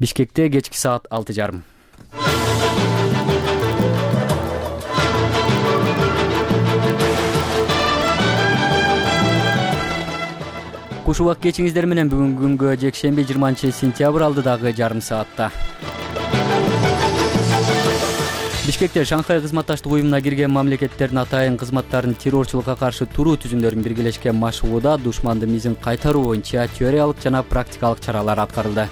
Бишкекте кечки саат 6:30. Куш убак кечиңиздер менен бүгүнкү күнгө жекшемби 20-сентябрь алдыдагы жарым саатта. Бишкекте Шанхай кызматташтык уюмуна кирген мамлекеттердин атайын кызматтарын террорчулукка каршы туруу түзүмдөрүн биргелешкен машыгууда душмандын мизин кайтаруу боюнча теориялык жана практикалык чаралар аткарылды.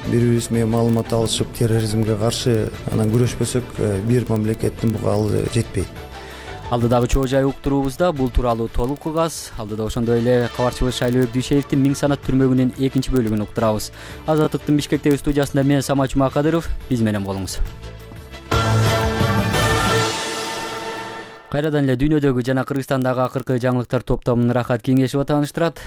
Бири-бирибиз менен маалымат алышып, терроризмге каршы анан күрөшпөсөк, бир мамлекеттин буга алды жетпейт. Алдыдагы чоо жай уктуруубузда бул тууралуу толук угас. Алдыда ошондой эле кабарчыбыз Шайлообек Дүйшеевдин Миң санат түрмөгүнүн 2 бөлүгүн уктурабыз. Азаттыктын Бишкектеги студиясында мен Самат Жумакадыров, биз менен болуңуз. Кайрадан эле дүйнөдөгү жана Кыргызстандагы акыркы жаңылыктар топтомун Рахат Кеңешова тааныштырат.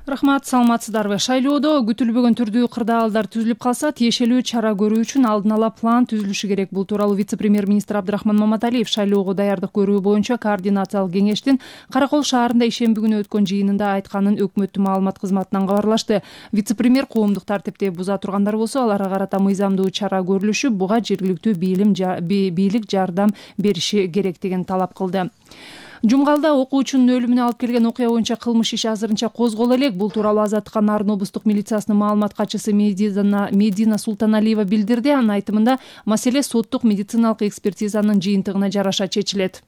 Рахмат, саламатсыздарбы? Шайлоодо күтүлбөгөн түрдүү кырдаалдар түзүлүп калса, тиешелүү чара көрүү үчүн алдын ала план түзүлүшү керек. Бул тууралуу вице-премьер-министр Абдрахман Маматалиев шайлоого даярдык көрүү боюнча координациялык кеңештин Каракол шаарында ишемби күнү өткөн жыйынында айтканын өкмөттүн маалымат кызматынан кабарлашты. Вице-премьер коомдук тартипти буза тургандар болсо, аларга карата мыйзамдуу чара көрүлүшүп, буга жергиликтүү бийлик жардам бериши керектигин талап кылды. Жумгалда окуучунун өлүмүнө алып келген окуя боюнча кылмыш иши азырынча козголо элек. Бул тууралуу Азаттыкка Нарын облустук милициясынын маалымат катчысы Медина Султаналиева билдирди. Анын айтымында маселе соттук медициналык экспертизанын жыйынтыгына жараша чечилет.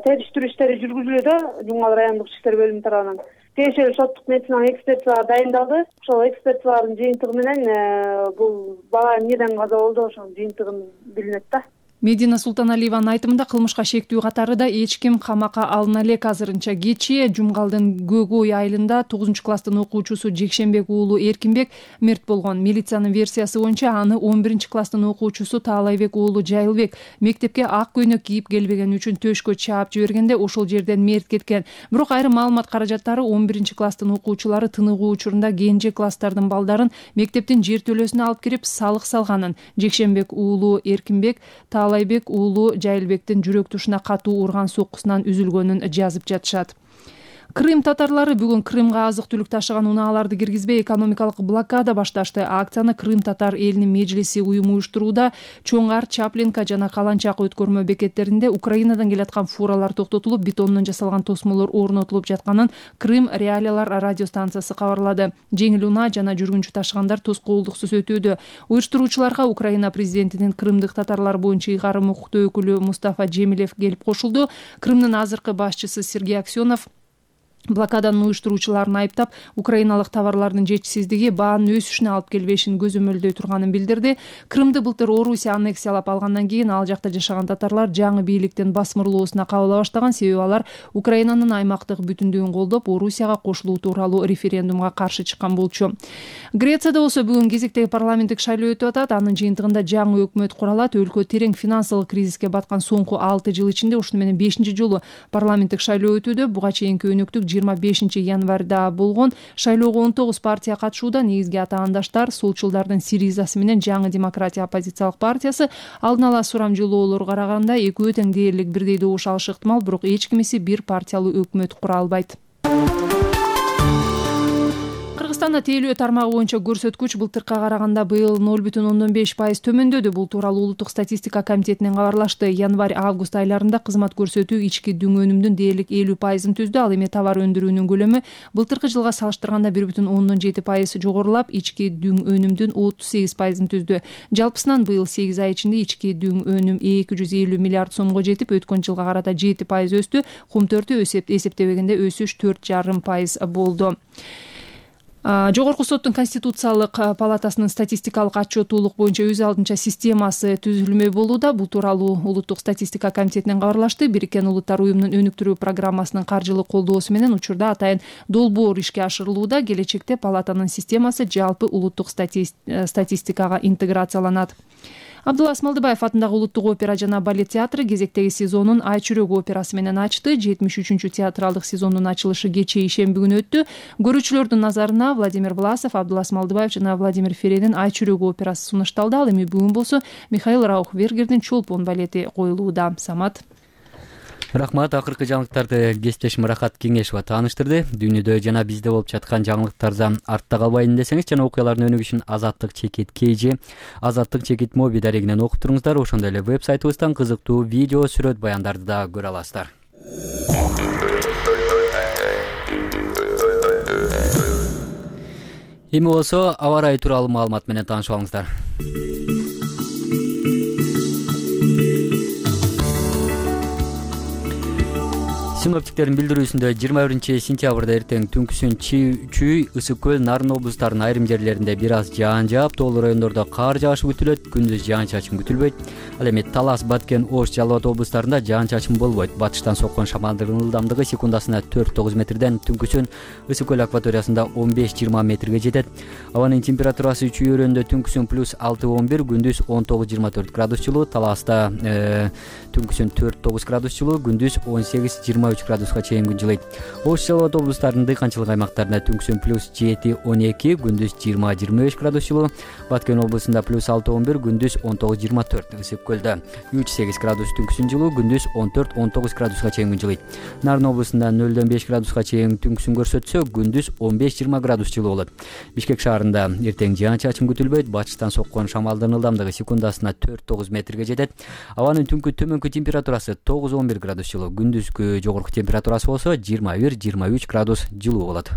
Териштирүү иштери жүргүзүлүүдө Жумгал райондук иштер бөлүмү тарабынан тиешелүү соттук медициналык экспертизалар дайындалды. Ошол экспертизалардын жыйынтыгы менен бул бала эмнеден каза болду, ошонун жыйынтыгын билинет да. Медина Султаналиеванын айтымында кылмышка шектүү катарында эч ким камакка алына элек. Азырынча кечээ Жумгалдын Гөгөй айылында 9-класстын окуучусу Жекшенбек уулу Эркинбек мерт болгон. Милициянын версиясы боюнча аны 11-класстын окуучусу Таалайбек уулу Жайылбек мектепке ак көйнөк кийип келбегени үчүн төшкө чаап жибергенде ошол жерден мерт кеткен. Бирок айрым маалымат каражаттары 11-класстын окуучулары тыныгуу учурунда кенже класстардын балдарын мектептин жертөлөсүнө алып кирип салык салганын, Жекшенбек уулу Эркинбек Таалайбек уулу Жайылбектин жүрөк тушуна катуу урган соккусунан үзүлгөнүн жазып жатышат. Крым татарлары бүгүн Крымга азык-түлүк ташыган унааларды киргизбей экономикалык блокада башташты. Акцияны Крым татар элинин межлиси уюму уюштурууда. Чоңар, Чаплинка жана Каланчак өткөрмө бекеттеринде Украинадан келаткан фуралар токтотулуп, бетондон жасалган тосмолор орнотулуп жатканын Крым Реалиялар радиостанциясы кабарлады. Жеңил унаа жана жүргүнчү ташыгандар тоскоолдуксуз өтүүдө. Уюштуруучуларга Украина президентинин крымдык татарлар боюнча ыйгарым укуктуу өкүлү Мустафа Жемилев келип кошулду. Крымдын азыркы башчысы Сергей Аксенов блокаданын уюштуруучуларын айыптап, украиналык товарлардын жетишсиздиги баанын өсүшүнө алып келбешин көзөмөлдөй турганын билдирди. Крымды былтыр Орусия аннексиялап алгандан кийин ал жакта жашаган татарлар жаңы бийликтин басмырлоосуна кабыла баштаган, себеби алар Украинанын аймактык бүтүндүгүн колдоп, Орусияга кошулуу тууралуу референдумга каршы чыккан болчу. Грецияда болсо бүгүн кезектеги парламенттик шайлоо өтүп атат. Анын жыйынтыгында жаңы өкмөт куралат. Өлкө терең финансылык кризиске баткан соңку 6 жыл ичинде ушуну менен 5-чи жолу парламенттик шайлоо өтүүдө. Буга чейинки өнөктүк 25 январда болгон. Шайлоого 19 партия катышууда. Негизги атаандаштар солчулдардын Сиризасы менен Жаңы демократия оппозициялык партиясы. Алдын ала сурамжылоолорго караганда экөө тең дээрлик бирдей добуш алышы ыктымал, бирок эч кимиси бир партиялуу өкмөт кура албайт. Кыргызстанда тейлөө тармагы боюнча көрсөткүч былтыркыга караганда быйыл 0,5% төмөндөдү. Бул тууралуу Улуттук статистика комитетинен кабарлашты. Январь-август айларында кызмат көрсөтүү ички дүң өнүмдүн дээрлик 50% түздү. Ал эми товар өндүрүүнүн көлөмү былтыркы жылга салыштырганда 1,7% жогорулап, ички дүң өнүмдүн 38% түздү. Жалпысынан быйыл 8 ай ичинде ички дүң өнүм 250 миллиард сомго жетип, өткөн жылга карата 7% өстү. Кумтөртү эсептебегенде өсүш 4,5% болду. Жогорку соттун Конституциялык палатасынын статистикалык отчетуулук боюнча өз алдынча системасы түзүлмөй болууда. Бул тууралуу Улуттук статистика комитетинен кабарлашты. Бириккен Улуттар уюмунун өнүктүрүү программасынын каржылык колдоосу менен учурда атайын долбоор ишке ашырылууда. Келечекте палатанын системасы жалпы улуттук статистикага интеграцияланат. Абдулла Асмалдыбаев атындагы Улуттук опера жана балет театры кезектеги сезонун Ай чүрөк операсы менен ачты. 73-чү театралдык сезондун ачылышы кечээ ишемби күнү өттү. Көрүүчүлөрдүн назарына Владимир Власов, Абдулла Асмалдыбаев жана Владимир Ференин Ай чүрөк операсы сунушталды. Ал эми бүгүн болсо Михаил Раухбергердин Чолпон балети коюлууда. Самат. Рахмат. Акыркы жаңылыктарды кесиптешим Рахат Кеңешова тааныштырды. Дүйнөдө жана бизде болуп жаткан жаңылыктардан артта калбайын десеңиз жана окуялардын өнүгүшүн Азаттык чекит KG, Азаттык чекит моби дарегинен окуп туруңуздар. Ошондой эле веб-сайтыбыздан кызыктуу видео, сүрөт баяндарды да көрө аласыздар. Эми болсо аба ырайы тууралуу маалымат менен таанышып алыңыздар. Синоптиктердин билдирүүсүндө 21-сентябрда эртең түнкүсүн Чүй, Ысык көл, Нарын облустарынын айрым жерлеринде бир аз жаан жаап, тоолуу райондордо кар жаашы күтүлөт, күндүз жаан-чачын күтүлбөйт. Ал эми Талас, Баткен, Ош, Жалал Абад облустарында жаан-чачын болбойт. Батыштан соккон шамалдын ылдамдыгы секундасына 4-9 метрден, түнкүсүн Ысык көл акваториясында 15-20 метрге жетет. Абанын температурасы Чүй өрөөнүндө түнкүсүн +6-11, күндүз 19-24 градус жылуу, Таласта түнкүсүн 4-9 градус жылуу, күндүз 18-23 градуска чейин күн жылыйт. Ош, Жалал Абад облустарынын дыйканчылык аймактарында түнкүсүн +7-12, күндүз 20-25 градус жылуу, Баткен облусунда +6-11, күндүз 19-24, Ысык көлдө 3-8 градус түнкүсүн жылуу, күндүз 14-19 градуска чейин күн жылыйт. Нарын облусунда 0-5 градуска чейин түнкүсүн көрсөтсө, күндүз 15-20 градус жылуу болот. Бишкек шаарында эртең жаан-чачын күтүлбөйт, батыштан соккон шамалдын ылдамдыгы секундасына 4-9 метрге жетет. Абанын түнкү төмөнкү температурасы 9-11 градус жылуу, күндүзкү жогорку температурасы болсо 21-23 градус жылуу болот.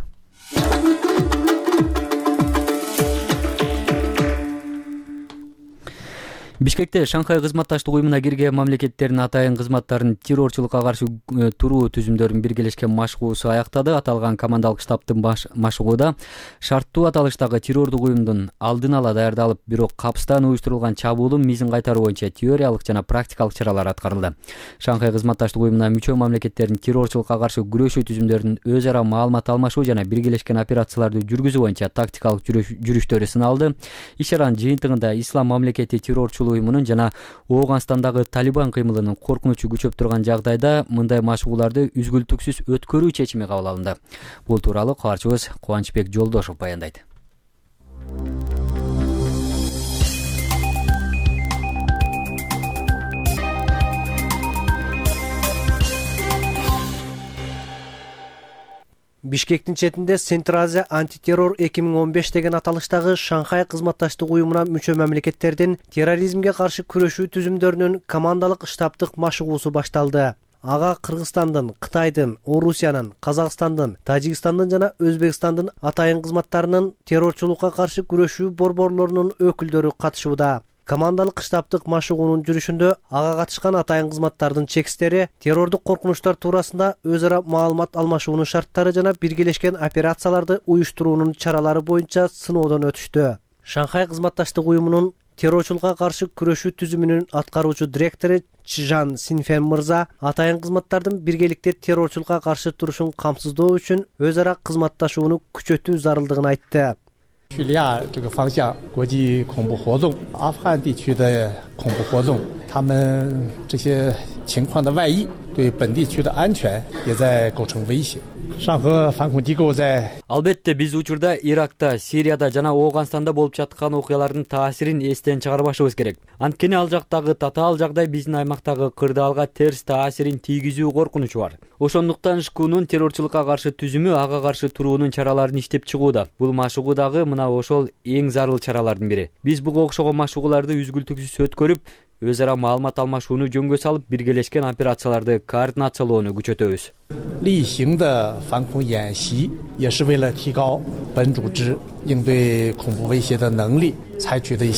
Бишкекте Шанхай кызматташтык уюмуна кирген мамлекеттердин атайын кызматтарынын террорчулукка каршы туруу түзүмдөрүнүн биргелешкен машыгуусу аяктады. Аталган командалык штабтын машыгууда шарттуу аталыштагы террордук уюмдун алдын ала даярдалып, бирок капыстан уюштурулган чабуулун мизин кайтаруу боюнча теориялык жана практикалык чаралар аткарылды. Шанхай кызматташтык уюмуна мүчө мамлекеттердин террорчулукка каршы күрөшүү түзүмдөрүнүн өз ара маалымат алмашуу жана биргелешкен операцияларды жүргүзүү боюнча тактикалык жүрүштөрү сыналды. Иш-чаранын жыйынтыгында Ислам мамлекети террорчулук уюмунун жана Ооганстандагы Талибан кыймылынын коркунучу күчөп турган жагдайда мындай машыгууларды үзгүлтүксүз өткөрүү чечими кабыл алынды. Бул тууралуу кабарчыбыз Кубанычбек Жолдошов баяндайт. Бишкектин четинде Центр Азия антитеррор 2015 деген аталыштагы Шанхай кызматташтык уюмуна мүчө мамлекеттердин терроризмге каршы күрөшүү түзүмдөрүнүн командалык штабтык машыгуусу башталды. Ага Кыргызстандын, Кытайдын, Орусиянын, Казакстандын, Тажикстандын жана Өзбекстандын атайын кызматтарынын террорчулукка каршы күрөшүү борборлорунун өкүлдөрү катышууда. Командалык штабтык машыгуунун жүрүшүндө ага катышкан атайын кызматтардын чекистери террордук коркунучтар туурасында өз ара маалымат алмашуунун шарттары жана биргелешкен операцияларды уюштуруунун чаралары боюнча сыноодон өтүштү. Шанхай кызматташтык уюмунун террорчулукка каршы күрөшүү түзүмүнүн аткаруучу директору Чжан Синфен мырза атайын кызматтардын биргеликте террорчулукка каршы турушун камсыздоо үчүн өз ара кызматташууну күчөтүү зарылдыгын айтты. 叙利亚这个方向国际恐怖活动，阿富汗地区的恐怖活动，他们这些情况的外溢对本地区的安全也在构成威胁。上合反恐机构在 Албетте биз учурда Иракта, Сирияда жана Ооганстанда болуп жаткан окуялардын таасирин эстен чыгарбашыбыз керек. Анткени ал жактагы татаал жагдай биздин аймактагы кырдаалга терс таасирин тийгизүү коркунучу бар. Ошондуктан ШКУнун террорчулукка каршы түзүмү ага каршы туруунун чараларын иштеп чыгууда. Бул машыгуудагы мына ошол эң зарыл чаралардын бири. Биз буга окшогон машыгууларды үзгүлтүксүз өткөрүп, өз ара маалымат алмашууну жөнгө салып, биргелешкен операцияларды координациялоону күчөтөбүз. 例行的反恐演习也是为了提高本组织应对恐怖威胁的能力，采取的一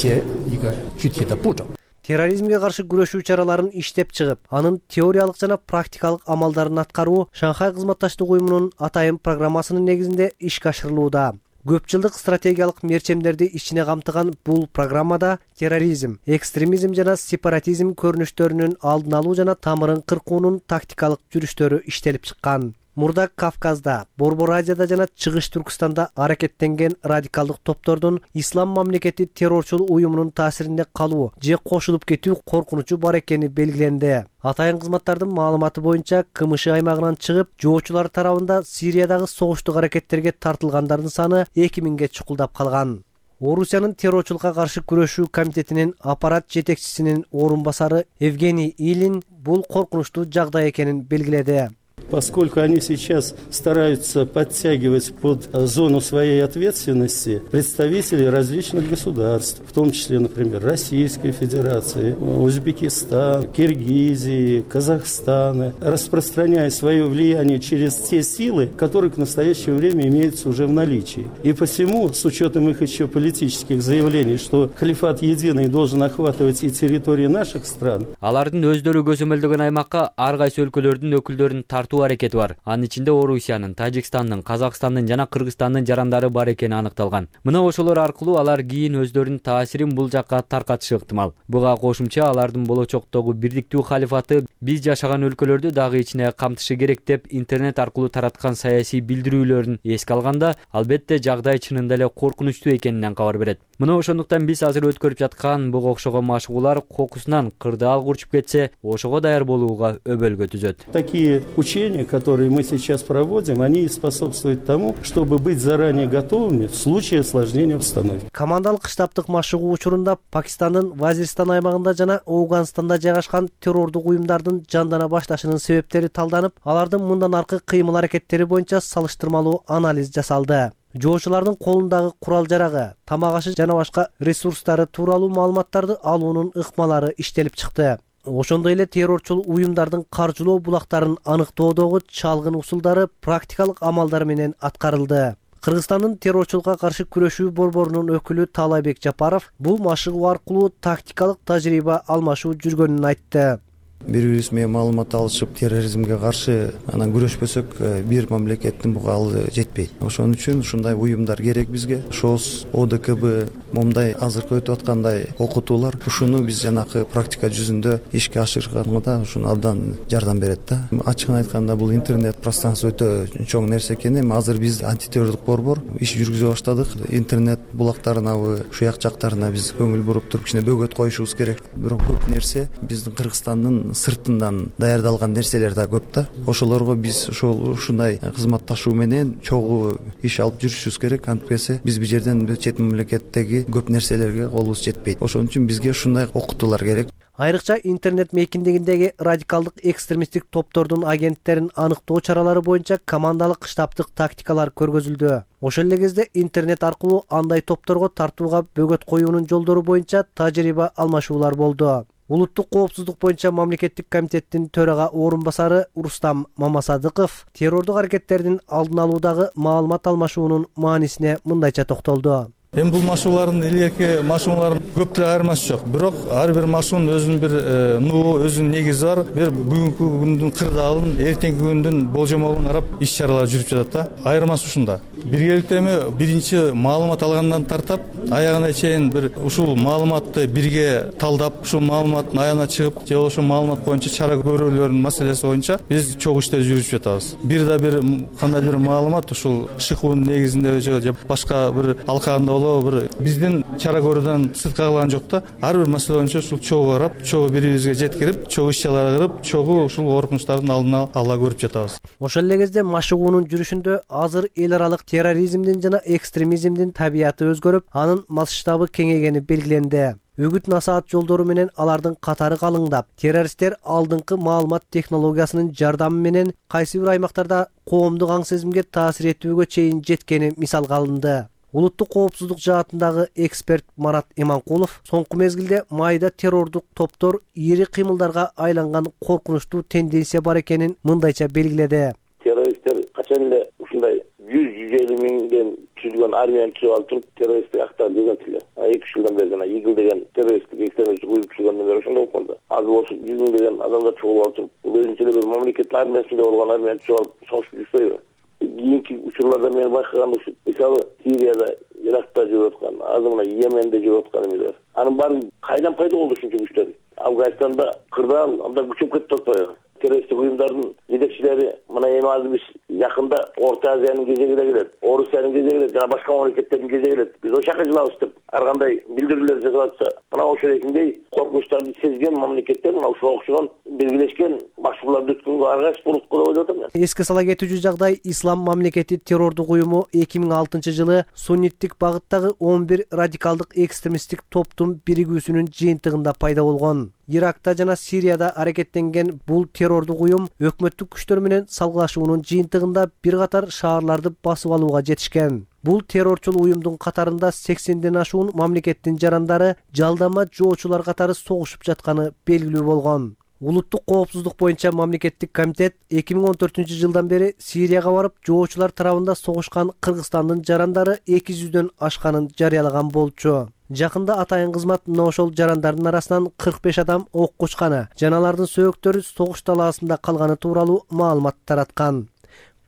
个具体的步骤。 Терроризмге каршы күрөшүү чараларын иштеп чыгып, анын теориялык жана практикалык амалдарын аткаруу Шанхай кызматташтык уюмунун атайын программасынын негизинде ишке ашырылууда. Көп жылдык стратегиялык мерчемдерди ичине камтыган бул программада терроризм, экстремизм жана сепаратизм көрүнүштөрүнүн алдын алуу жана тамырын кыркуунун тактикалык жүрүштөрү иштелип чыккан. Мурда Кавказда, Борбор Азияда жана Чыгыш Түркстанда аракеттенген радикалдык топтордун Ислам мамлекети террорчул уюмунун таасирине калуу же кошулуп кетүү коркунучу бар экени белгиленди. Атайын кызматтардын маалыматы боюнча КМШ аймагынан чыгып, жоочулар тарабында Сириядагы согуштук аракеттерге тартылгандардын саны 2000ге чукулдап калган. Орусиянын террорчулукка каршы күрөшүү комитетинин аппарат жетекчисинин орун басары Евгений Илин бул коркунучтуу жагдай экенин белгиледи. Поскольку они сейчас стараются подтягивать под зону своей ответственности представителей различных государств, в том числе, например, Российской Федерации, Узбекистана, Киргизии, Казахстана, распространяя свое влияние через те силы, которые к настоящему время имеются уже в наличии. И посему, с учетом их еще политических заявлений, что халифат единый должен охватывать и территории наших стран. Алардын өздөрү көзөмөлдөгөн аймакка ар кайсы өлкөлөрдүн өкүлдөрүн тартуу аракети бар. Анын ичинде Орусиянын, Тажикстандын, Казакстандын жана Кыргызстандын жарандары бар экени аныкталган. Мына ошолор аркылуу алар кийин өздөрүнүн таасирин бул жакка таркатышы ыктымал. Буга кошумча алардын болочоктогу бирдиктүү халифаты биз жашаган өлкөлөрдү дагы ичине камтышы керек деп интернет аркылуу тараткан саясий билдирүүлөрүн эске алганда, албетте жагдай чынында эле коркунучтуу экенинен кабар берет. Мына ошондуктан биз азыр өткөрүп жаткан буга окшогон машыгуулар кокусунан кырдаал курчуп кетсе, ошого даяр болууга өбөлгө түзөт. Такие учения, которые мы сейчас проводим, они способствуют тому, чтобы быть заранее готовыми в случае осложнения обстановки. Командалык штабтык машыгуу учурунда Пакистандын Вазиристан аймагында жана Ауганстанда жайгашкан террордук уюмдардын жандана башташынын себептери талданып, алардын мындан аркы кыймыл-аракеттери боюнча салыштырмалуу анализ жасалды. Жоочулардын колундагы курал-жарагы, тамак-ашы жана башка ресурстары тууралуу маалыматтарды алуунун ыкмалары иштелип чыкты. Ошондой эле террорчул уюмдардын каржылоо булактарын аныктоодогу чалгын усулдары практикалык амалдар менен аткарылды. Кыргызстандын террорчулукка каршы күрөшүү борборунун өкүлү Талайбек Жапаров бул машыгуу аркылуу тактикалык тажрыйба алмашуу жүргөнүн айтты. Бири-бирибиз менен маалымат алышып, терроризмге каршы анан күрөшпөсөк, бир мамлекеттин буга алды жетпейт. Ошон үчүн ушундай уюмдар керек бизге. ШОС, ОДКБ, момундай азыркы өтүп аткандай окутуулар ушуну биз жанакы практика жүзүндө ишке ашырганга ушуну абдан жардам берет да. Ачыгын айтканда бул интернет пространство өтө чоң нерсе экен. Эми азыр биз антитеррордук борбор иш жүргүзө баштадык. Интернет булактарына, шуяк жактарына биз көңүл буруп туруп кичине бөгөт коюшубуз керек. Бирок көп нерсе биздин Кыргызстандын сыртынан даярдалган нерселер да көп да. Ошолорго биз ушундай кызматташуу менен чогуу иш алып жүрүшүбүз керек. Антпесе биз бул жерден чет мамлекеттеги көп нерселерге колубуз жетпейт. Ошон үчүн бизге ушундай окутуулар керек. Айрыкча интернет мейкиндигиндеги радикалдык экстремисттик топтордун агенттерин аныктоо чаралары боюнча командалык штабтык тактикалар көргөзүлдү. Ошол эле кезде интернет аркылуу андай топторго тартууга бөгөт коюунун жолдору боюнча тажрыйба алмашуулар болду. Улуттук коопсуздук боюнча мамлекеттик комитеттин төрага орун басары Рустам Мамасадыков террордук аракеттердин алдын алуудагы маалымат алмашуунун маанисине мындайча токтолду. Эми бул машыгуулардын илгерки машыгуулардын көп деле айырмасы жок. Бирок ар бир машыгуунун өзүнүн бир нугу, өзүнүн негизи бар. Бир бүгүнкү күндүн кырдаалын, эртеңки күндүн болжомолун карап иш-чаралар жүрүп жатат да. Айырмасы ушунда. Биргеликте эми биринчи маалымат алгандан тартап, аягына чейин бир ушул маалыматты бирге талдап, ушул маалыматтын аягына чыгып, же ошол маалымат боюнча чара көрүүлөрдүн маселеси боюнча биз чогуу иштер жүрүп жатабыз. Бир да бир кандай бир маалымат ушул ШИКУнун негизинде же башка бир алкагында бир биздин чара көрүүдөн сыртка калган жок да. Ар бир маселе боюнча ушул чогуу карап, чогуу бири-бирибизге жеткирип, чогуу иш-чаралар кылып, чогуу ушул коркунучтардын алдын ала көрүп жатабыз. Ошол эле кезде машыгуунун жүрүшүндө азыр эл аралык терроризмдин жана экстремизмдин табияты өзгөрүп, анын масштабы кеңейгени белгиленди. Үгүт-насаат жолдору менен алардын катары калыңдап, террористтер алдыңкы маалымат технологиясынын жардамы менен кайсы бир аймактарда коомдук аң сезимге таасир этүүгө чейин жеткени мисалга алынды. Улуттук коопсуздук жаатындагы эксперт Марат Иманкулов соңку мезгилде майда террордук топтор ири кыймылдарга айланган коркунучтуу тенденция бар экенин мындайча белгиледи. Террористтер качан эле ушундай 100-150 миңден түзүлгөн армияны түзүп алып туруп террористтик актар деген тиле. 2 жылдан бери жана ИГИЛ деген террористтик экстремисттик уюм түзүлгөндөн бери ошондой болуп калды. Азыр ошо 100 миңдеген адамдар чогулуп алып туруп, бул өзүнчө эле бир мамлекеттин армиясында болгон армияны түзүп алып согуш жүрүшпөйбү? Кийинки учурларда мен байкаган ушул мисалы Сирияда, Иракта жүрүп аткан, азыр мына Йеменде жүрүп атканыбыз бар. Анын баары кайдан пайда болду ушунча күчтөр? Афганистанда кырдаал абдан күчөп кетти атпайбы? Террористтик уюмдардын жетекчилери мына эми азыр биз жакында Орто Азиянын кезеги да келет, Орусиянын кезеги келет, жана башка мамлекеттердин кезеги келет. Биз ошол жака жылабыз деп ар кандай билдирүүлөр жасап атса, мына ошол экиндей коркунучтарды сезген мамлекеттер мына ушуга окшогон белгилешкен башчыларды өткөнгө ар кайсы бурукку деп ойлоп атам. Эске сала кетүүчү жагдай, Ислам мамлекети террордук уюму 2006 жылы сунниттик багыттагы 11 радикалдык экстремисттик топтун биригүүсүнүн жыйынтыгында пайда болгон. Иракта жана Сирияда аракеттенген бул террордук уюм өкмөттүк күчтөр менен салгылашуунун жыйынтыгында бир катар шаарларды басып алууга жетишкен. Бул террорчул уюмдун катарында 80ден ашуун мамлекеттин жарандары жалдама жоочулар катары согушуп жатканы белгилүү болгон. Улуттук коопсуздук боюнча мамлекеттик комитет 2014 жылдан бери Сирияга барып, жоочулар тарабында согушкан Кыргызстандын жарандары 200дөн ашканын жарыялаган болчу. Жакында атайын кызмат мына ошол жарандардын арасынан 45 адам ок кучканы, жана алардын сөөктөрү согуш талаасында калганы тууралуу маалымат тараткан.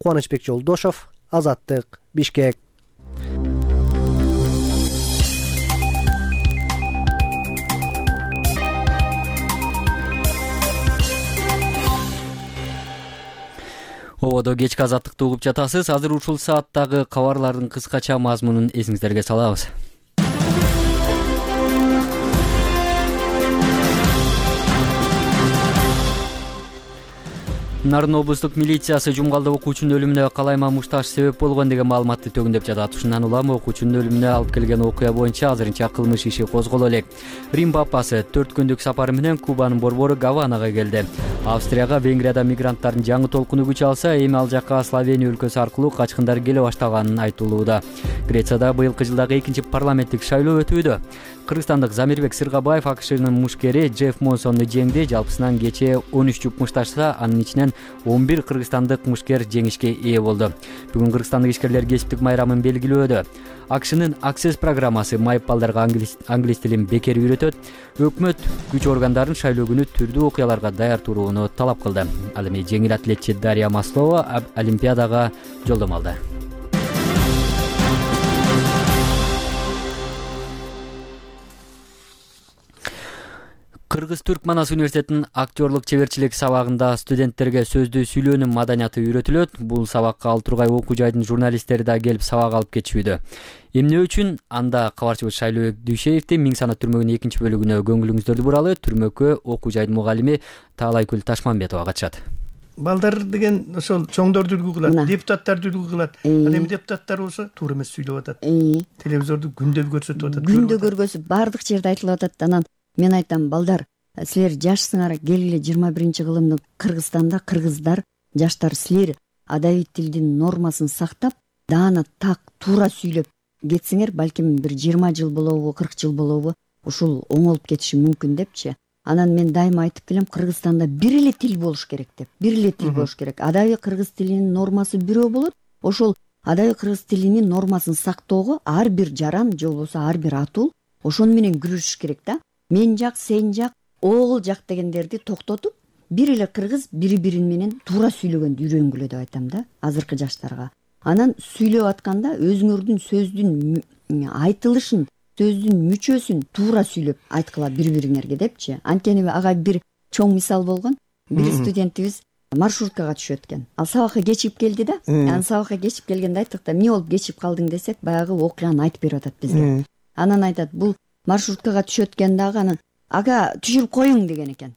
Кубанычбек Жолдошов, Азаттык, Бишкек. Ободо кечки Азаттыкты угуп жатасыз. Азыр ушул сааттагы кабарлардын кыскача мазмунун эсиңиздерге салабыз. Нарын облустук милициясы Жумгалда окуучунун өлүмүнө калайма мушташ себеп болгон деген маалыматты төгүндөп жатат. Ушундан улам окуучунун өлүмүнө алып келген окуя боюнча азырынча кылмыш иши козголо элек. Рим папасы 4 күндүк сапары менен Кубанын борбору Гаванага келди. Австрияга Венгрияда мигранттардын жаңы толкуну күч алса, эми ал жакка Словения өлкөсү аркылуу качкындар келе баштаганын айтылууда. Грецияда быйылкы жылдагы 2-парламенттик шайлоо өтүүдө. Кыргызстандык Замирбек Сыргабаев АКШнын мушкери Джефф Монсонду жеңди. Жалпысынан кечээ 13 жуп мушташса, анын ичинен 11 кыргызстандык мушкер жеңишке ээ болду. Бүгүн кыргызстандык ишкерлер кесиптик майрамын белгилөөдө. АКШнын Access программасы майып балдарга англис тилин бекер үйрөтөт. Өкмөт күч органдарын шайлоо күнү түрдүү окуяларга даяр турууну талап кылды. Ал эми жеңил атлетчи Дарья Маслова Олимпиадага жолдомо алды. Кыргыз-Түрк Манас университетинин актерлук чеберчилик сабагында студенттерге сөздүү сүйлөөнүн маданияты үйрөтүлөт. Бул сабакка Алтургай окуу жайдын журналисттери да келип сабак алып кетишүүдө. Эмне үчүн? Анда кабарчыбыз Шайлообек Дүйшеевдин Миң санат түрмөгүнүн 2-бөлүгүнө көңүлүңүздөрдү буралы. Түрмөккө окуу жайдын мугалими Таалайкүл Ташмамбетова катышат. Балдар деген ошол чоңдорду үлгү кылат, депутаттарды үлгү кылат. Ал эми депутаттар болсо туура эмес сүйлөп атат. Телевизорду күндө көрсөтүп атат. Күндө көргөзүп бардык жерде айтылып атат. Анан мен айтам, балдар, силер жашсыңар, келгиле 21-кылымдын Кыргызстанда кыргыздар, жаштар, силер адабий тилдин нормасын сактап, даана так туура сүйлөп кетсеңер, балким бир 20 жыл болобу, 40 жыл болобу, ушул оңолуп кетиши мүмкүн депчи. Анан мен дайыма айтып келем, Кыргызстанда бир эле тил болуш керек деп. Бир эле тил болуш керек. Адабий кыргыз тилинин нормасы бирөө болот. Ошол адабий кыргыз тилинин нормасын сактоого ар бир жаран же болбосо ар бир атул ошону менен күрөшүш керек да. Мен жак, сен жак, оғыл жак дегендерди токтотуп, бир эле кыргыз бири-бирин менен туура сүйлөгөндү үйрөнгүлө деп айтам да, азыркы жаштарга. Анан сүйлөп атканда өзүңөрдүн сөздүн айтылышын, сөздүн мүчөсүн туура сүйлөп айткыла бири-бириңерге депчи. Анткени ага бир чоң мисал болгон. Бир студентибиз маршруткага түшөт экен. Ал сабакка кечигип келди да. Анан сабакка кечигип келгенде айттык да, эмне болуп кечигип калдың десек, баягы окуяны айтып берип атат бизге. Анан айтат, бул маршруткага түшөт экен дагы, анан ага түшүрүп коюң деген экен.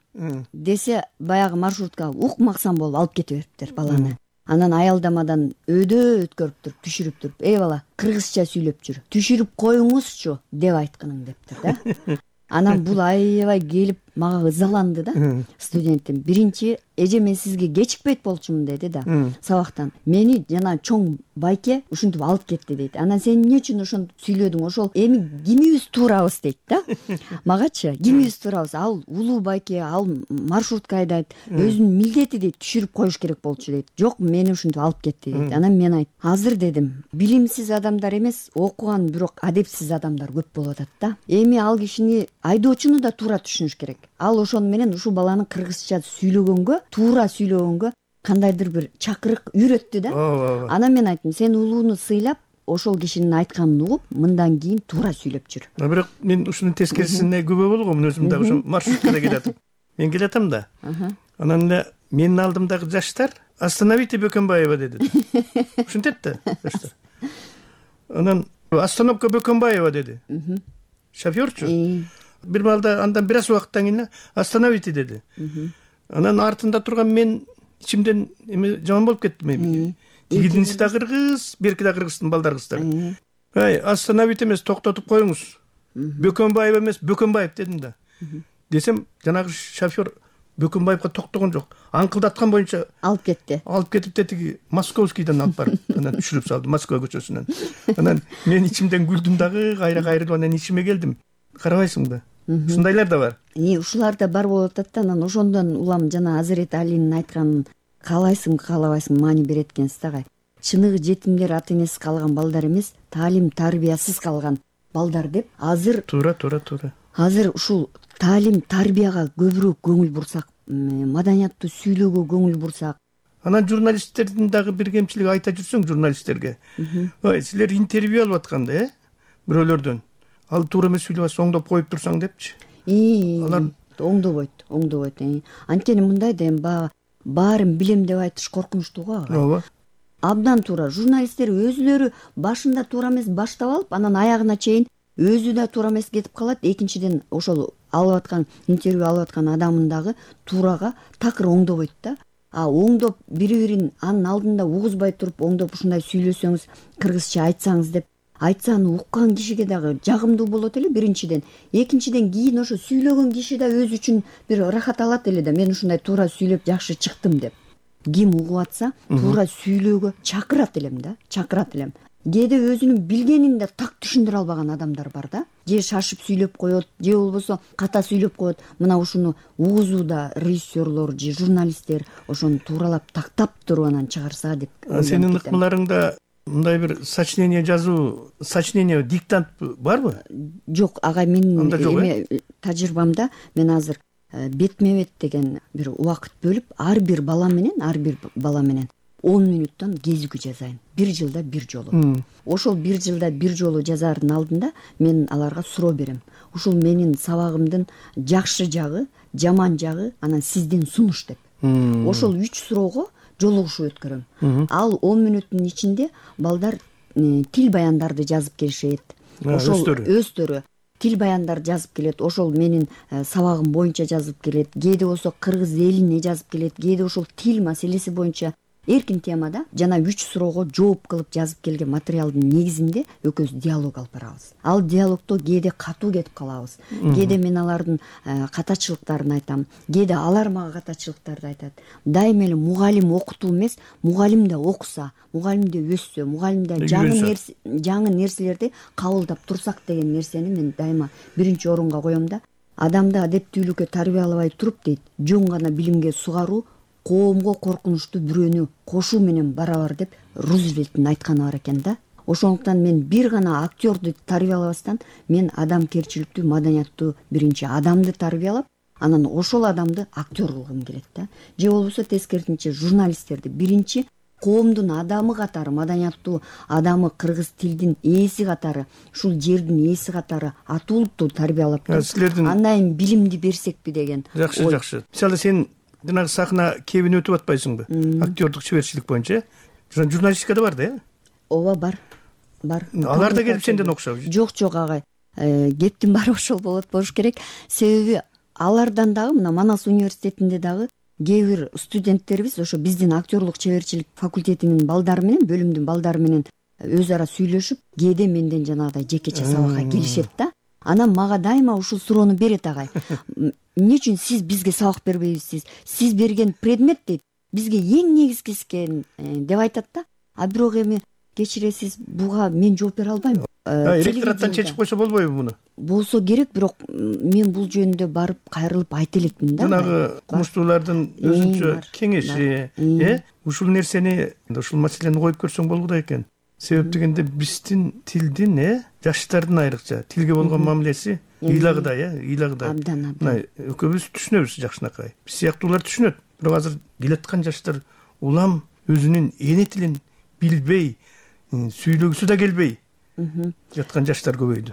Десе, баягы маршрутка укмаксан болуп алып кетип бериптир баланы. Анан аялдамадан өткөрүп туруп, түшүрүп туруп, эй бала, кыргызча сүйлөп жүр. Түшүрүп коюңузчу деп айтканың дептир да. Анан бул аябай келип мага ызаланды да. Студентим биринчи, эже мен сизге кечикпейт болчумун деди да. Сабактан мени жана чоң байке ушинтип алып кетти дейт. Анан сен эмне үчүн ошону сүйлөдүң? Ошол эми кимибиз туурабыз дейт да. Магачы кимибиз туурабыз? Ал улуу байке, ал маршрутка айдайт, өзүнүн милдети дейт, түшүрүп коюш керек болчу дейт. Жок, мени ушинтип алып кетти дейт. Анан мен айт, азыр дедим, билимсиз адамдар эмес, окуган бирок адепсиз адамдар көп болуп атат да. Эми ал кишини айдоочуну да туура түшүнүш керек. Ал ошону менен ушул баланы кыргызча сүйлөгөнгө, туура сүйлөгөнгө кандайдыр бир чакырык үйрөттү да. Анан мен айттым, сен улууну сыйлап, ошол кишинин айтканын угуп, мындан кийин туура сүйлөп жүр. Бирок мен ушунун тескерисине күбө болгом, өзүм дагы ошо маршруткада келатам. Мен келатам да. Анан эле менин алдымдагы жаштар остановите Бөкөнбаева деди. Ушинтет да. Анан остановка Бөкөнбаева деди. Шофёрчу. Бир балда андан бир аз убакыттан кийин остановите деди. Анан артында турган мен ичимден эме жаман болуп кеттим. Тигидинси да кыргыз, берки да кыргыздын балдар кыздары. Остановите эмес, токтотуп коюңуз. Бөкөнбаева эмес, Бөкөнбаев дедим да. Десем, жанагы шофёр Бөкөнбаевга токтогон жок. Аңкылдаткан боюнча алып кетти. Алып кетип тетиги Московскийден алып барып, анан түшүрүп салды Москва көчөсүнөн. Анан мен ичимден күлдүм дагы, кайра кайрылып анан ичиме келдим. Карабайсыңбы? Ушундайлар да бар. Ушулар да бар болуп атат да, анан ошондон улам жана Азирет Алинин айтканын каалайсың, каалабайсың маани берет экенсиз да. Чыныгы жетимдер ата энесиз калган балдар эмес, таалим тарбиясыз калган балдар деп азыр туура. Азыр ушул таалим тарбияга көбүрөөк көңүл бурсак, маданияттуу сүйлөөгө көңүл бурсак. Анан журналисттердин дагы бир кемчилиги айта жүрсөң журналисттерге. Силер интервью алып атканда, бирөөлөрдөн ал туура эмес сүйлөбөс, оңдоп коюп турсаң депчи. Алар оңдобойт. Анткени мындай да эми баарын билем деп айтыш коркунучтуу го. Ооба. Абдан туура. Журналисттер өзүлөрү башында туура эмес баштап алып, анан аягына чейин өзү да туура эмес кетип калат. Экинчиден ошол алып аткан интервью алып аткан адамын дагы туурага такыр оңдобойт да. Оңдоп бири-бирин анын алдында угузбай туруп, оңдоп ушундай сүйлөсөңүз, кыргызча айтсаңыз деп айтсаны уккан кишиге дагы жагымдуу болот эле биринчиден. Экинчиден кийин ошо сүйлөгөн киши да өзү үчүн бир ырахат алат эле да, мен ушундай туура сүйлөп жакшы чыктым деп. Ким угуп атса, туура сүйлөөгө чакырат элем да, чакырат элем. Кээде өзүнүн билгенин да так түшүндүрө албаган адамдар бар да. Же шашып сүйлөп коет, же болбосо ката сүйлөп коет. Мына ушуну угузууда режиссерлор же журналисттер ошону тууралап тактап туруп анан чыгарса деп. Сенин ыкмаларыңда мындай бир сочинение жазуу, сочинение, диктант барбы? Жок, агай, менин тажрыйбамда мен азыр бетме-бет деген бир убакыт бөлүп, ар бир бала менен 10 мүнөттөн кезиги жазайын. 1 жылда 1 жолу. Ошол 1 жылда 1 жолу жазаардын алдында мен аларга суроо берем. Ушул менин сабагымдын жакшы жагы, жаман жагы, анан сиздин сунуш деп. Ошол 3 суроого жолугушуп өткөрөм. Ал 10 мүнөттүн ичинде балдар тил баяндарды жазып келишет. Ошол өздөрү тил баяндар жазып келет. Ошол менин сабагым боюнча жазып келет. Кээде болсо кыргыз элине жазып келет. Кээде ошол тил маселеси боюнча эркин темада жана 3 суроого жооп кылып жазып келген материалдын негизинде экөөбүз диалог алып барабыз. Ал диалогдо кээде катуу кетип калабыз. Кээде мен алардын катачылыктарын айтам. Кээде алар мага катачылыктарды айтат. Дайыма эле мугалим окутуу эмес, мугалим да окуса, мугалим да өссө, мугалим да жаңы нерселерди кабылдап турсак деген нерсени мен дайыма биринчи орунга коем да. Адамды адептүүлүккө тарбиялабай туруп дейт, жөн гана билимге сугаруу коомго коркунучтуу бирөөнү кошуу менен барабар деп Рузвельттин айтканы бар экен да. Ошондуктан мен бир гана актёрду тарбиялабастан мен адамгерчиликтүү, маданияттуу биринчи адамды тарбиялап, анан ошол адамды актер кылгым келет да. Же болбосо тескерисинче журналисттерди биринчи коомдун адамы катары, маданияттуу адамы, кыргыз тилдин ээси катары, ушул жердин ээси катары атуулуктуу тарбиялап, андан кийин билимди берсекпи деген. Жакшы. Мисалы сен жанагы сахна кебин өтүп атпайсыңбы? Актёрдук чеберчилик боюнча. Журналистикада бар да, э? Ооба, бар. Алар да келип сенден окшоп. Жок, агай. Кептин баары ошол болуш керек. Себеби алардан дагы мына Манас университетинде дагы кээ бир студенттерибиз ошо биздин актёрлук чеберчилик факультетинин балдары менен, бөлүмдүн балдары менен өз ара сүйлөшүп, кээде менден жанагыдай жекече сабакка келишет да. Анан мага дайыма ушул суроону берет, агай. Эмне үчүн сиз бизге сабак бербейсиз? Сиз берген предмет дейт, бизге эң негизгиси экен деп айтат да. Бирок эми кечиресиз, буга мен жооп бере албайм. Ректораттан чечип койсо болбойбу муну? Болсо керек, бирок мен бул жөнүндө барып кайрылып айта элекмин да. Жанагы кумуштуулардын өзүнчө кеңеши, ушул нерсени, ушул маселени коюп көрсөң болгудай экен. Себеп дегенде биздин тилдин, жаштардын айрыкча тилге болгон мамилеси ыйлагыдай, ыйлагыдай. Мына экөөбүз түшүнөбүз жакшынакай. Биз сыяктуулар түшүнөт. Бирок азыр келаткан жаштар улам өзүнүн эне тилин билбей, сүйлөгүсү да келбей жаткан жаштар көбөйдү.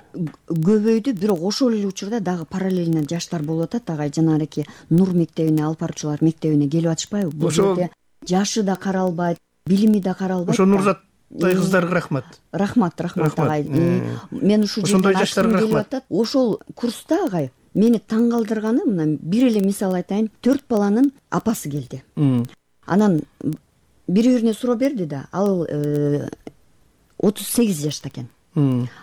Бирок ошол эле учурда дагы параллельно жаштар болуп атат. Агай жанагы Нур мектебине, алып баруучулар мектебине келип атышпайбы? Бул жерде жашы да каралбайт, билими да каралбайт. Ошо Нурзаттай кыздарга рахмат. Рахмат агай. Мен ушул ошондой жаштарга рахмат. Ошол курста агай мени таң калтырганы, мына бир эле мисал айтайын, 4 баланын апасы келди. Анан бири-бирине суроо берди да, ал 38 жашта экен.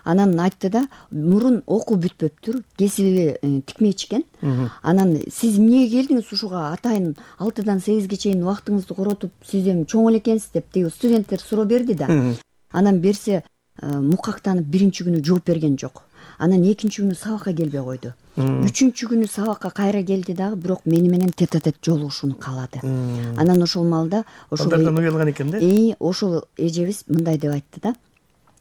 Анан айтты да, мурун окуу бүтпөптүр, кесиби тикмечи экен. Анан сиз эмнеге келдиңиз ушуга, атайын 6-дан 8ге чейин убактыңызды коротуп, сиз эми чоң эле экенсиз деп тиги студенттер суроо берди да. Анан берсе мукактанып биринчи күнү жооп берген жок. Анан экинчи күнү сабакка келбей койду. Үчүнчү күнү сабакка кайра келди дагы, бирок мени менен тет-а-тет жолугушууну каалады. Анан ошол маалда балдардан уялган экен да. Ошол эжебиз мындай деп айтты да: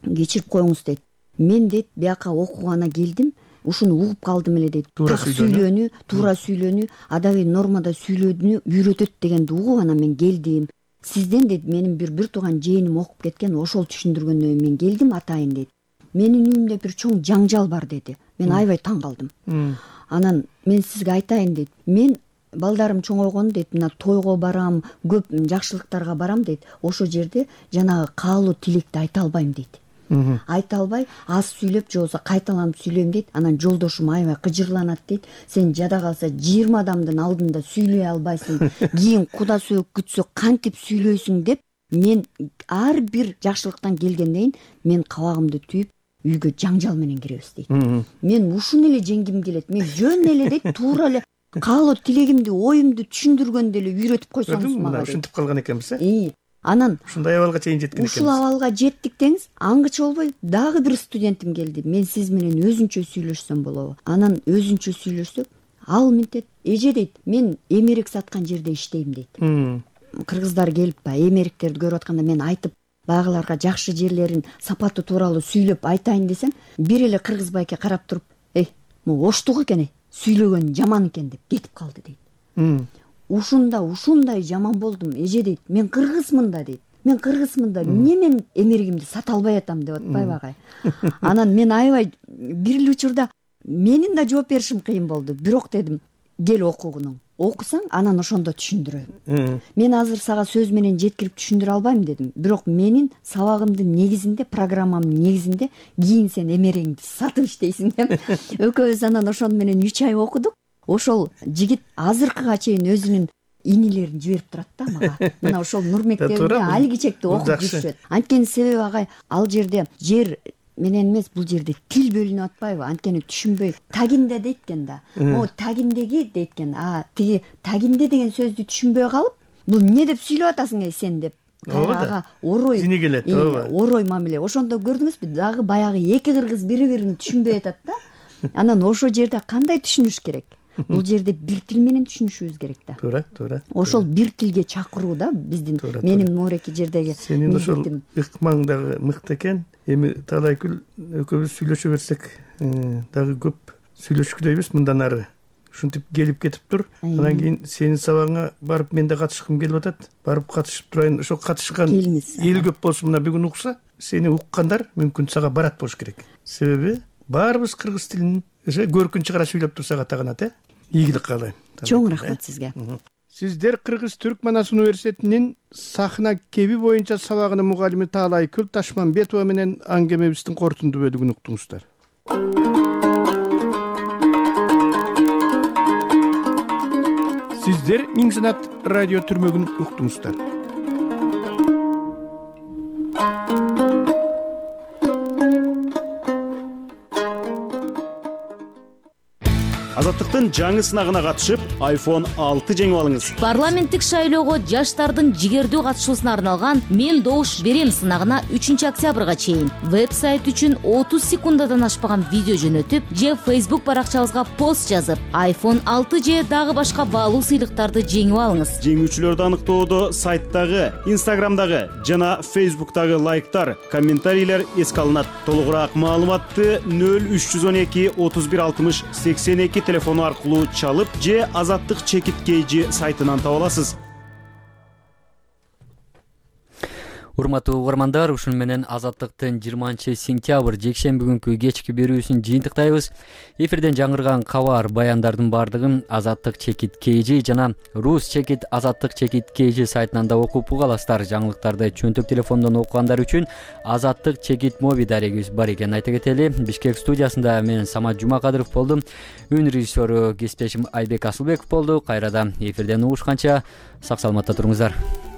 кечирип коюңуз дейт. Мен дейт бияка окугана келдим, ушуну угуп калдым эле дейт. Туура сүйлөөнү, адабий нормада сүйлөөнү үйрөтөт дегенди угуп анан мен келдим. Сизден дейт менин бир тууган жээним окуп кеткен, ошол түшүндүргөндөн кийин мен келдим атайын дейт. Менин үйүмдө бир чоң жаңжал бар деди. Мен аябай таң калдым. Анан мен сизге айтайын дейт. Мен балдарым чоңойгон дейт, мына тойго барам, көп жакшылыктарга барам дейт. Ошол жерде жанагы каалуу тилекти айта албайм дейт. Айта албай, аз сүйлөп же болбосо кайталанып сүйлөйм дейт. Анан жолдошум аябай кыжырланат дейт. Сен жада калса 20 адамдын алдында сүйлөй албайсың. Кийин Куда сөөк күтсө кантип сүйлөйсүң деп мен ар бир жакшылыктан келгенден кийин мен кабагымды түйүп үйгө жаңжал менен киребиз дейт. Мен ушуну эле жеңгим келет. Мен жөн эле дейт, туура эле каалоо тилегимди, оюмду түшүндүргөндө эле үйрөтүп койсоңуз мага. Ушинтип калган экенбиз, э? Анан ушундай абалга чейин жеткен экенбиз. Ушул абалга жеттик деңиз, аңгыча болбой дагы бир студентим келди. Мен сиз менен өзүнчө сүйлөшсөм болобу? Анан өзүнчө сүйлөшсөк, ал мынтет, эже дейт, мен эмерек саткан жерде иштейм дейт. Кыргыздар келип эмеректерди көрүп атканда мен айтып, багыларга жакшы жерлерин, сапаты тууралуу сүйлөп айтайын десем, бир эле кыргыз байке карап туруп, могу оштук экен, сүйлөгөн жаман экен деп кетип калды дейт. Ушундай жаман болдум, эже дейт. Мен кыргызмын да дейт. Мен кыргызмын да, эмне мен эмерегимди сата албай атам деп атпайбы агай? Анан мен аябай бир эле учурда менин да жооп беришим кыйын болду. Бирок дедим, кел окугуну. Окусаң, анан ошондо түшүндүрөм. Мен азыр сага сөз менен жеткирип түшүндүрө албайм дедим. Бирок менин сабагымдын негизинде, программамдын негизинде кийин сен эмерегиңди сатып иштейсиң деп. Экөөбүз анан ошону менен 3 ай окудук. Ошол жигит азыркыга чейин өзүнүн инилерин жиберип турат да мага. Мына ошол Нур мектебинде алгичекти окуп жүрүшөт. Анткени себеби агай, ал жерде жер менен эмес, бул жерде тил бөлүнүп атпайбы? Анткени түшүнбөй тагинде дейт экен да. Могу тагиндеги дейт экен. Тиги тагинде деген сөздү түшүнбөй калып, бул эмне деп сүйлөп атасың сен деп. Ага орой. Зини келет, ооба. Орой мамиле. Ошондо көрдүңүзбү? Дагы баягы эки кыргыз бири-бирин түшүнбөй атат да. Анан ошол жерде кандай түшүнүш керек? Бул жерде бир тил менен түшүнүшүбүз керек да. Туура. Ошол бир тилге чакыруу да биздин менин мореки жердеги. Сенин ошол ыкмаң дагы мыкты экен. Эми талайкүл экөөбүз сүйлөшө берсек, дагы көп сүйлөшкүдөйбүз мындан ары. Ушинтип келип кетип тур. Анан кийин сенин сабагыңа барып мен да катышкым келип атат. Барып катышып турайын. Ошо катышкан эл көп болсо, мына бүгүн укса, сени уккандар мүмкүн сага барат болуш керек. Себеби баарыбыз кыргыз тилин көркүн чыгара сүйлөп турсак атаганат, ийгилик каалайм. Чоң рахмат сизге. Сиздер Кыргыз Түрк Манас университетинин сахна кеби боюнча сабагынын мугалими Таалайкүл Ташмамбетова менен аңгемебиздин кортунду бөлүгүн уктуңуздар. Сиздер Миң Санат радио түрмөгүн уктуңуздар. Азаттыктын жаңы сынагына катышып, iPhone 6 жеңип алыңыз. Парламенттик шайлоого жаштардын жигердүү катышуусуна арналган Мен добуш берем сынагына 3 октябрга чейин веб-сайт үчүн 30 секундадан ашпаган видео жөнөтүп, же Facebook баракчабызга пост жазып, iPhone 6 же дагы башка баалуу сыйлыктарды жеңип алыңыз. Жеңүүчүлөрдү аныктоодо сайттагы, Instagramдагы жана Facebook'тагы лайктар, комментарийлер эске алынат. Толугураак маалыматты 0312 31 60 82 телефону аркылуу чалып же Азаттык чекит кейжи сайтынан таба аласыз. Урматтуу угармандар, ушун менен Азаттыктын 20-сентябрь жекшемби күнкү кечки берүүсүн жыйынтыктайбыз. Эфирден жаңырган кабар, баяндардын бардыгын Азаттык чекит KG жана Рус чекит Азаттык чекит KG сайтынан да окуп уга аласыздар. Жаңылыктарды чөнтөк телефондон окугандар үчүн Азаттык чекит моби дарегибиз бар экенин айта кетели. Бишкек студиясында мен Самат Жумакадыров болдум. Үн режиссеру кесиптешим Айбек Асылбеков болду. Кайрадан эфирден угушканча сак саламатта туруңуздар.